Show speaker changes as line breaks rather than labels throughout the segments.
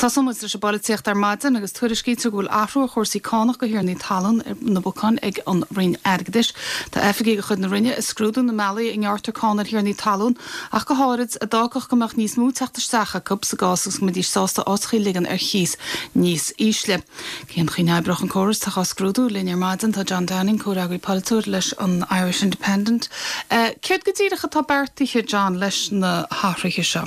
Tosóidh muid leis an bpolaitíocht ar maidin agus tuairiscítear go bhfuil athrú ar chúrsaí cánach do thiarnaí talún ar na bacáin ag an Roinn Airgeadais. Tá oifigigh de chuid na Roinne ag scrúdú na mbealaí a ngearrtar cáin ar thiarnaí talún, ach go háirid, a d'fhágfadh go mbeadh níos mó teacht isteach acu sa gcás agus go mbeidís sásta áiteachaí a ligean ar chíos níos ísle. Cén chaoi a n-oibreodh an córas atá á scrúdú? Linn ar maidin tá John Downing, comhfhreagraí polaitiúil leis an Irish Independent. Céard go díreach atá beartaithe, John, leis na hathruithe seo?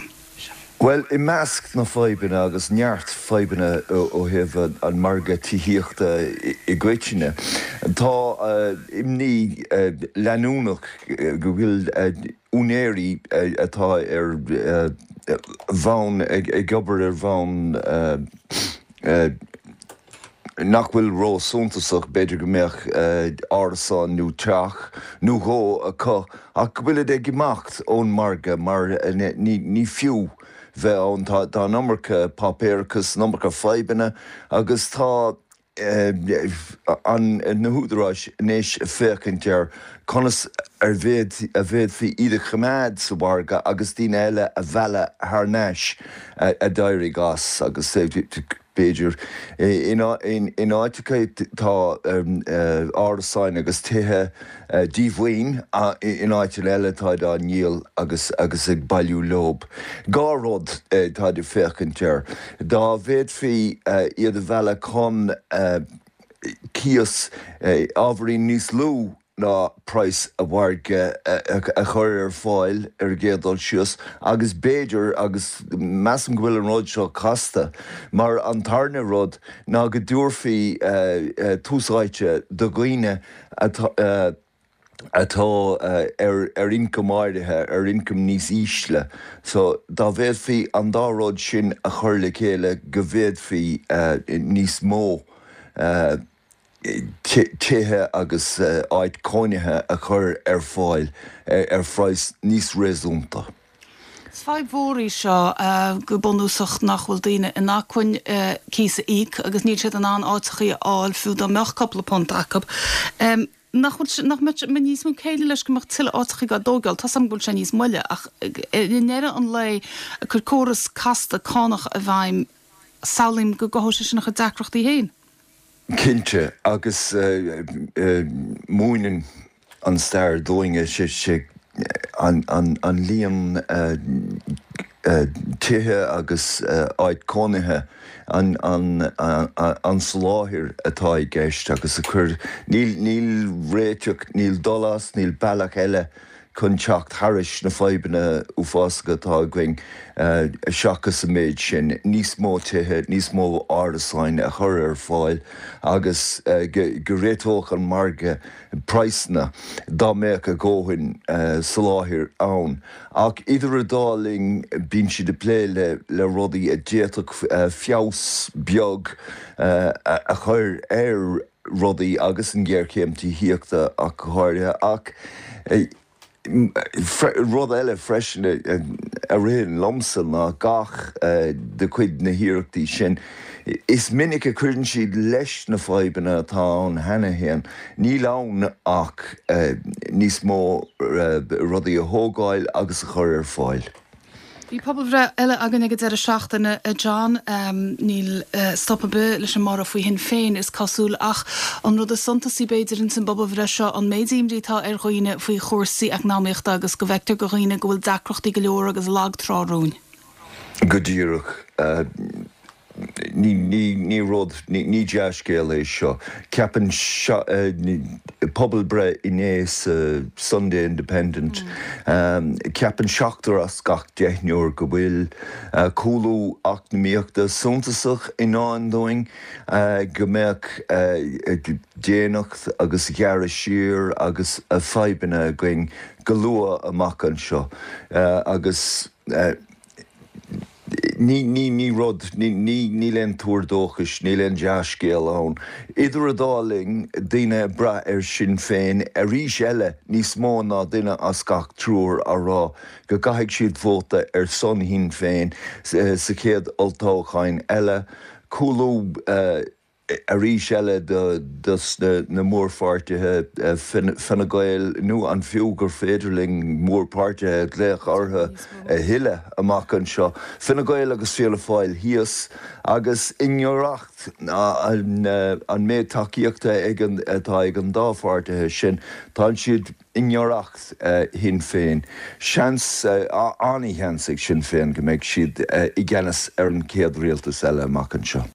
Bhuel, i measc na fadhbanna, agus neart fadhbanna ó thaobh an margadh tithíochta i gcoitinne, tá imní leanúnach go bhfuil úinéirí atá ar bhonn, ag obair ar bhonn nach bhfuil ró-suntasach, b'fhéidir go mbeadh árasán nó teach nó dhó acu ach go bhfuilid ag imeacht ón margadh mar ní fiú bheith ann. Tá an iomarca páipéarachas, an iomarca fadhbanna agus tá na húdaráis anois ag féachaint ar conas a bhféadfaí iad a choimeád sa mhargadh agus daoine eile a mhealladh thar n-ais a d'éirigh as agus B'fhéidir. In áiteacha tá árasáin agus tithe díomhaoin, in áiteanna eile táid á ndíol agus agus ag bailiú leob. 2 rud táid ag féachaint air. Dá bhféadfaí iad a mhealladh chun cíos ábhairín níos lú ná praghas an mhargaidh a chur ar fáil ar an gcéad dul síos agus b'fhéidir, agus measaim go bhfuil an rud seo casta, mar an tarna rud ná go dtabharfaí tús áite do dhaoine atá ar ioncam áirithe, ar ioncam níos ísle. So dá bhféadfaí an dá rud sin a chur le chéile go bhféadfaí níos mó tithe agus áit cónaithe a chur ar fáil ar phraghas níos réasúnta.
Is fadhb mhór í seo go bunúsach nach bhfuil daoine in acmhainn cíos a íoc agus níl siad in ann áiteachaí a fháil fiú dá mbeadh cúpla punt acu. Nach bhfuil, nach mbeadh níos mó céille leis go mbeadh tuilleadh áiteachaí á dtógáil? Tá's agam go bhfuil sé níos moille ach i ndeireadh an lae ag cur córas casta cánach i bhfeidhm samhlaím go gcothódh sé sin a chuid deacrachtaí féin.
Cinnte, agus múineann an stair dúinn, sé an líon tithe agus áit cónaithe an soláthair atá i gceist agus a chur, níl réiteach, níl dul as, níl bealach eile chun teacht thairis na fadhbanna uafásacha atá againn seachas an méid sin, níos mó tithe, níos mó árasáin a chur ar fáil agus go réiteodh an margadh praghsanna dá mbeadh a dhóthain soláthair ann. Ach idir an dá linn bíonn siad ag plé le rudaí a d'fhéadfadh feabhas beag a chur ar rudaí agus an ghéarchéim tithíochta ach go háirithe. Ach rud eile freisin a ritheann liomsa ná gach de chuid na hiarrachtaí sin, is minic a chuireann siad leis na fadhbanna atá ann cheana féin. Níl ann ach níos mó rudaí a thógáil agus a chur ar fáil.
Bhí pobalbhreith eile againn ag an deireadh seachtaine, a John. Níl stop ar bith leis an mborradh faoi Shinn Féin, is cosúil, ach an rud is suntasaí, b'fhéidir, ins an bpobalbhreith seo, an méid imní atá ar dhaoine faoi chúrsaí eacnamaíochta agus go bhfeictear do dhaoine go bhfuil deacrachtaí go leor agus lag trá romhainn.
Go díreach. Ní rud, ní dea-scéal é seo. Ceapann pobalbhreith inné sa Sunday Independent, ceapann seachtar as gach deichniúr go bhfuil cúlú eacnamaíochta suntasach i ndán dúinn, go mbeadh déanacht agus gearradh siar agus fadhbanna againn go luath amach anseo agus. Ní, ní, ní rud, ní, ní, níl aon tuar dóchais, níl aon dea-scéal ann. Idir an dá linn, daoine ag brath ar Sinn Féin arís eile, níos mó ná duine as gach triúr á rá go gcaithfidh siad vóta ar son Shinn Féin sa chéad olltoghchán eile. Cúlú. Arís eile dos na mórpháirtithe, Fine Gael, nó an fiú gur féidir linn mórpháirtithe a ghlaoch orthu a thuilleadh amach anseo, Fine Gael agus Fianna Fáil thíos, agus i ngiorracht an méid tacaíochta atá ag an dá pháirtithe sin, tá siad i ngiorracht Shinn Féin. Seans, an-sheans ag Sinn Féin go mbeidh siad i gceannas ar an chéad rialtas eile amach anseo.